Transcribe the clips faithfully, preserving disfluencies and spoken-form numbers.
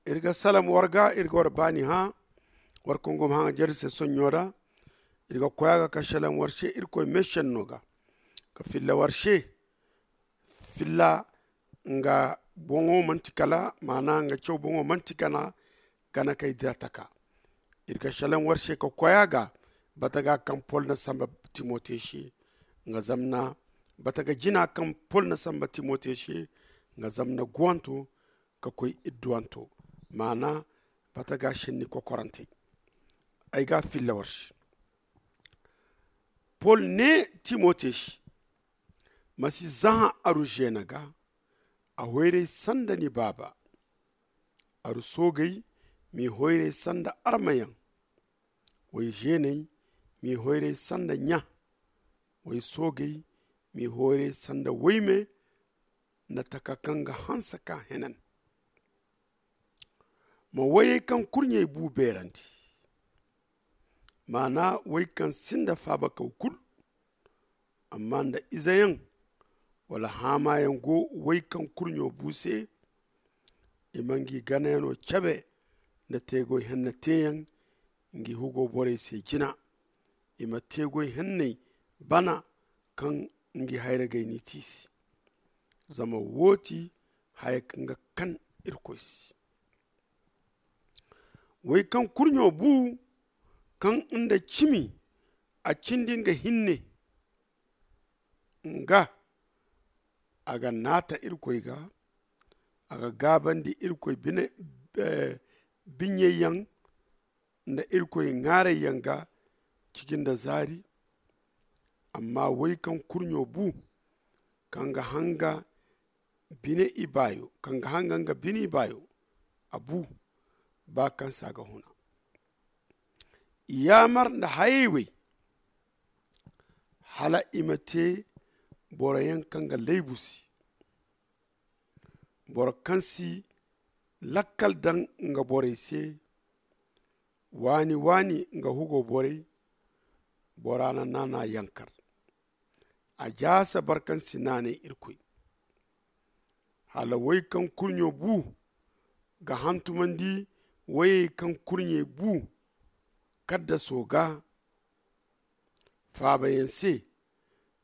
Iri ga salam war ga, iri ga war baani hã. War kaŋ go ma hã ga jare se sonɲo ra, iri ga koy a ga ka salam war se irkoy meesenno ga, ka filla war se. Filla nga boŋo manti kala maana nga caw boŋo manti kana gana kay dira taka. Iri ga salam war se ka koy a ga bata ga kaŋ pol na samba timote se, nga zamna bata ga jina kaŋ pol na samba timote se, nga zamna guwanto ka koy idduwanto, maana bata ga senni kokorante. Ay ga filla war se. Pol ne timote se, ma si zahã aru zeena ga. A hoyray sanda ni baaba. Aru soogey m'i hoyray sanda armayaŋ. Way zeeney m'i hoyray sanda ɲa. Way soogey m'i hoyray sanda wayme nda taka kaŋ ga hanse ka henan. Ma wayey kaŋ kurɲey bu beerandi, maana way kaŋ sinda faabakaw kulu. Amma nda izeyaŋ wala haamayaŋ go way kaŋ kurɲo bu se, i ma ngi ganayano cabe nda teegoy henne teeyaŋ ngi hugo borey se jina. I ma teegoy henney bana kaŋ ngi hayragay n'i tiisi. Zama wo ti haya kaŋ ga kan irkoy se. Way kaŋ kurɲo bu kaŋ nda cimi a cindi nga hinne, nga a ga naata irkoy ga. A ga gaabandi irkoy biɲey yaŋ nda irkoy ŋaarey yaŋ ga ciji nda zaari. Amma way kaŋ kurɲo bu kaŋ ga hanga bine ibaayo kaŋ ga hanga nga bine ibaayo, a bu ba kaŋ se a ga huna. I yaamar nda hayey wey hala i ma te boro yaŋ kaŋ ga laybu se. Boro kaŋ si lakkal daŋ nga borey se, waani waani nga hugo borey. Bora na naana yankar a jaasa barkansi naanay irkoy. Hala way kaŋ kurɲo bu ga hantumandi wayey kaŋ kurɲey bu kaddaso ga faabayaŋ se.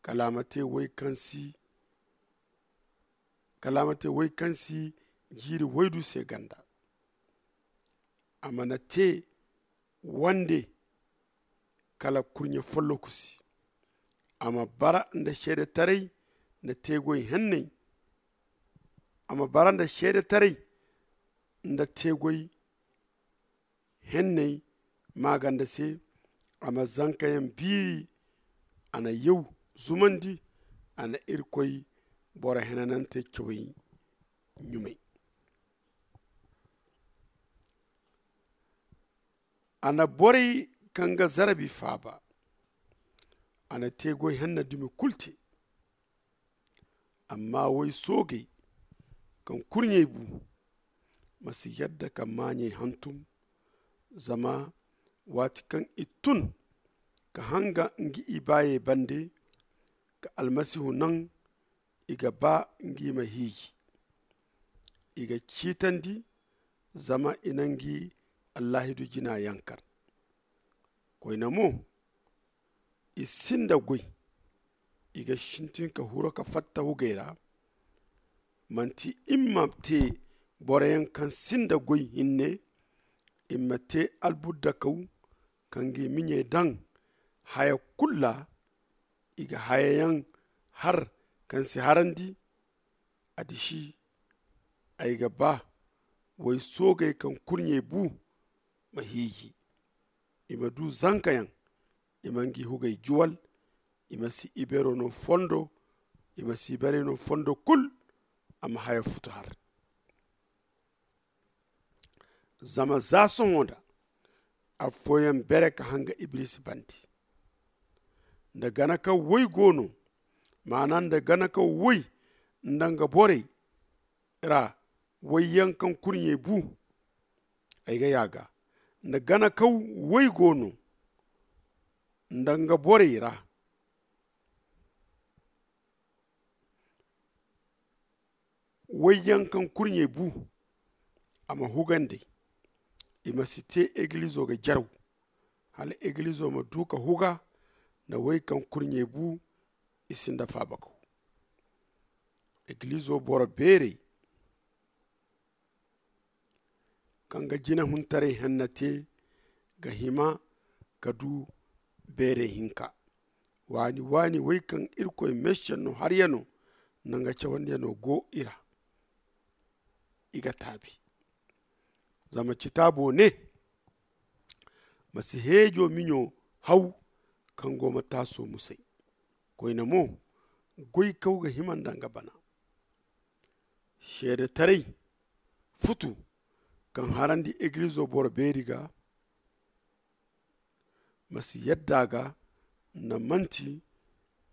Kala a ma te way kaŋ si kala a ma te way kaŋ si jiiri waydu se ganda. A mana te wande kala kurɲe folloku se. A ma bara nda seedetaray nda teegoy henney. A ma bara nda seedetaray nda teegoy henney maaganda se. A ma zankayaŋ biiri. A na yaw zumandi. A na irkoy boro henanante cawey ɲumay. A na borey kaŋ ga zarabi faaba. A na teegoy henna dumi kulu te. Amma way soogey kaŋ kurɲey bu, ma si yadda ka maaɲey hantum. Zama waati kaŋ i tun ka hanga ngi ibaayey bande ka almasihu naŋ, i ga ba ngi ma hiiji. I ga ciitandi zama i na ngi allaahidu jina yankar. Koyne mo, i sinda goy. I ga sintin ka huro ka fatta hugey ra. Manti i ma te boroyaŋ kaŋ sinda goy hinne. I ma te albuddakaw kaŋ ga i miɲey daŋ haya kulu ra. I ga hayayaŋ har kaŋ si harandi. A disi ay ga ba way soogey kaŋ kurɲey bu ma hiiji. I ma du zankayaŋ. I ma ngi hugey juwal. I ma si ibeero no fondo. I ma si ibeerey no fondo kulu. A ma haya futu har. Zama za sohõ nda affooyaŋ bere ka hanga iblisi bande. Nda gana kaŋ woy go no, maana nda gana kaŋ woy nda nga borey ra, woyyaŋ kaŋ kurɲey bu. Ay ga yaaga nda gana kaŋ woy go no nda nga borey ra, woyyaŋ kaŋ kurɲey bu. a ma hugandi. I ma si te egilizo ga jaraw hala egilizo ma du ka huga. Nda wey kaŋ kurɲey bu i sinda faabakaw. Egilizo boro beerey kaŋ ga jinehuntaray henna te ga hima ka du beerey hinka. Waani waani wey kaŋ irkoy meesenno haryano nda nga cawandiyano go i ra. I ga taabi. Zama citaabo ne, ma si heejo miɲo haw kaŋ go ma taaso musay. Koyne mo, goykaw ga hima nda nga bana. Seedetaray futu kaŋ harandi egilizo boro beeri ga, ma si yadda a ga nda manti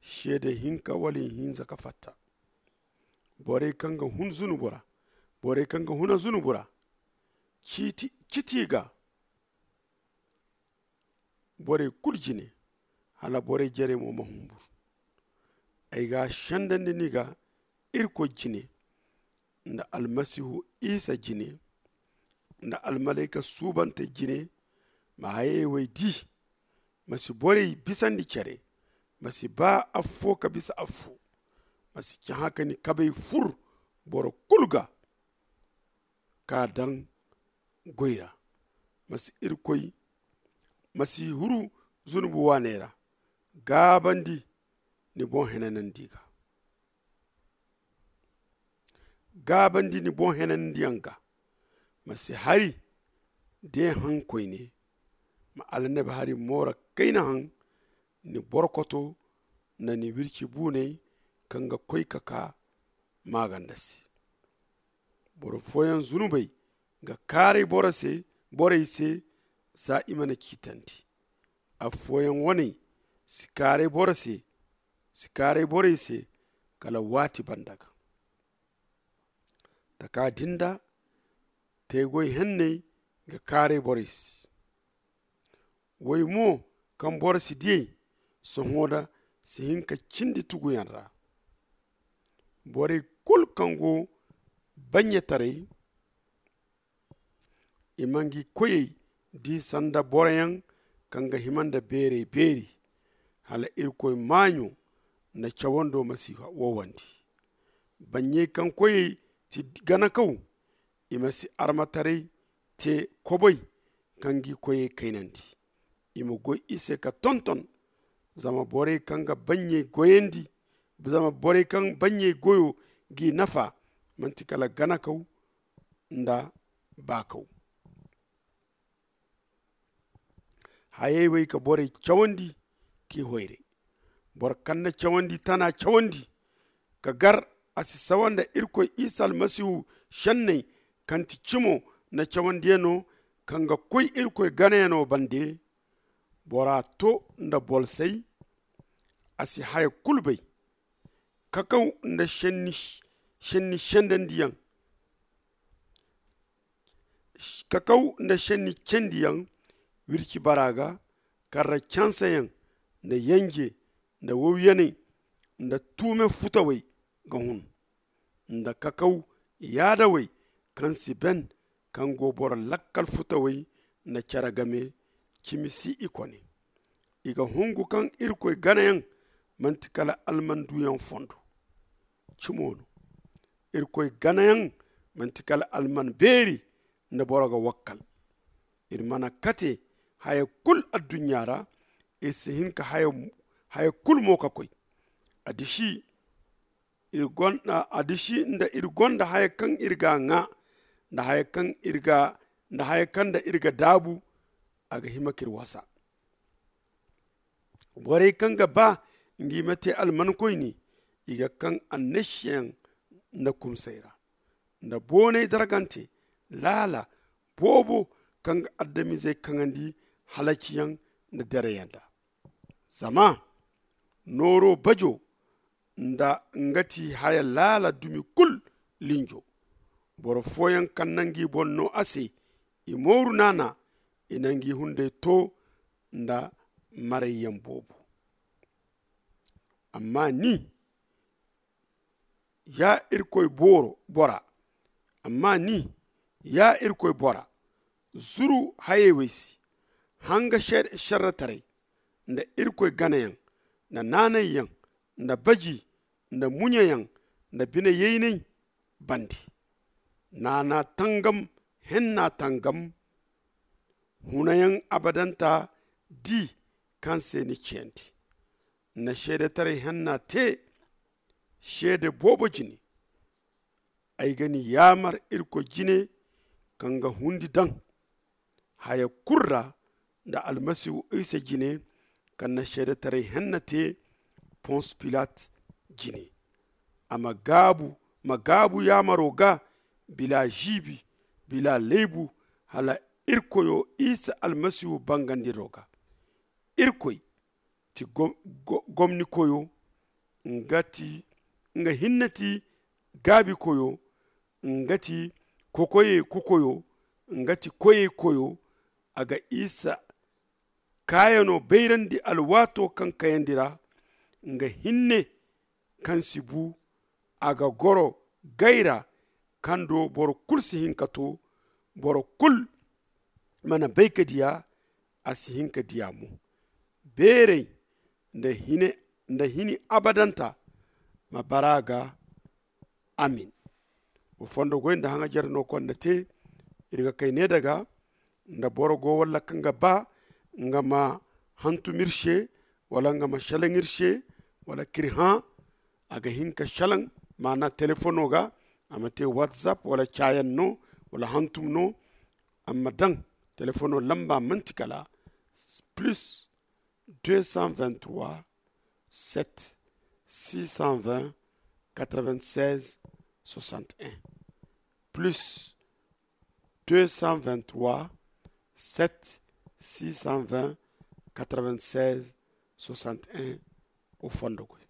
seede hinka wala ihinza ka fatta. Borey kaŋ ga hun zunubu ra, borey kaŋ ga huna zunubu ra, ciiti i ga borey kulu jine, hala borey jerey mo ma humbur. Ay ga a sendandi ni ga irkoy jine, nda almasihu isa jine, nda almalayka suubante jine. Ma hayey wey di. Ma si borey bisandi care. Ma si ba affo ka bisa affo. Ma si cahã ka ni kabey fur boro kulu ga ka daŋ goy ra. Ma si irkoy ma si huru zunubu waaney ra. Gaabandi ni boŋ henanandi ga. Gaabandi ni boŋ henanandiyaŋ ga. Ma si hari de haŋ koyne. Ma alnabi hari moora kayna haŋ ni borkoto nda ni wirci buuney kaŋ ga koy ka kaa maaganda se. Boro fooyaŋ zunubey ga kaaray borey se za i mana ciitandi. Affooyaŋ waney si kaaray borey se si kaaray borey se kala waati banda ga. Taka din da teegoy henney ga kaaray borey se. Woy mo kaŋ boro si diyey sohõ da si hin ka cindi tuguyaŋ ra. Borey kulu kaŋ go bannyetaray i ma ngi koyey di sanda boroyaŋ kaŋ ga hima nda beerey beeri. Hala irkoy maaɲo nda cawando ma si wowandi. Banɲey kaŋ koyey ti ganakaw i ma si armataray te kobay kaŋ gi koyey kaynandi. I ma goy i se ka tonton. Zama borey kaŋ ga banɲey goyandi zama borey kaŋ banɲey goyo g'i nafa manti kala ganakaw nda baakaw. Hayey wey ka borey cawandi k'i hoyray. Boro kaŋ na cawandi tana cawandi ka gar a si sawa nda irkoy isa almasihu senney kaŋ ti cimo nda cawandiyano kaŋ ga koy irkoy ganayano bande. Bora to nda bolsay a si haya kulu bay. Kakaw nda senni sendandiyaŋ kakaw nda senni cendiyaŋ wirci bara ga. Karra canseyaŋ nda yanje nda wawyaney nda tuume futawey ga hun nda kakaw yaadawey kaŋ si ben kaŋ go boro lakkal futawey nda care game cimi si i kone. I ga hungu kaŋ irkoy ganayaŋ manti kala alman duyaŋ fondo. Cimo no irkoy ganayaŋ manti kala alman beeri nda boro ga wakkal. Iri mana kate haya kulu adduɲɲa ra iri si hin ka haya kulu mo ka koy. Adiši adiši nda iri gonda haya kaŋ iri ga ŋwa nda haya kaŋ nda iri ga daabu a ga hima k'iri wasa. Borey kaŋ ga ba ngi ma te almankoyne i ga kaŋ annasiyaŋ nda kumsay ra nda boonay dargante laala boobo kaŋ ga adamizey kaŋandi halaciyaŋ nda dereyaŋ da. Zama nooro bajo nda nga ti haya laala dumi kulu linjo. Boro fooyaŋ kaŋ na ngi boŋ no a se i mooru naana i na ngi hunday to nda marayyaŋ boobo. Amma ni ya irkoy bora amma ni Ya irkoy bora, zuru hayey wey se, hanga šerretaray, nda irkoy ganayaŋ, nda naanayyaŋ, nda baji, nda muɲayaŋ, nda bine-yeyney bande. Naana tangam, henna tangam, hunayaŋ abadanta di kaŋ se ni ciyandi. Ni na seedetaray henna te seede boobo jine. Ay ga ni yaamar irkoy jine, kaŋ ga hundi daŋ haya kulu ra, nda almasihu isa jine, kaŋ na seedetaray henna te pons pilat jine. A ma gaabu yaamaro ga, bila ziibi, bila laybu, hala irkoyo isa almasihu bangandiro ga. Irkoy ti gomnikoyo, nga hinne ti gaabikoyo, nga ti kokoyey kokoyo, nga ti koyey koyo. A ga isa kaayano bayrandi alwaato kaŋ kayandi ra. Nga hinne kaŋ si bu, a ga goro gay ra, kaŋ do boro kulu si hin ka to. Boro kulu mana bay ka diya, a si hin ka diya mo. Beeray nda hini abadanta ma bara ga. Amin. Wa fondo goy nda haŋajer no konda te. Iri ga kay ne daga, nda boro go walla kaŋ ga ba nga ma hantum iri se, wala nga ma selaŋ iri se, wala k'iri hã, a ga hin ka selaŋ, maana telefono ga. A ma te whatsapp wala caayaŋ no, wala hantum no. A ma daŋ telefono lamba manti kala plus deux cent vingt-trois, sept, six cent vingt, quatre-vingt-seize, soixante et un. Plus deux cent vingt-trois, sept, six cent vingt, quatre-vingt-seize, soixante et un. O fondo goy.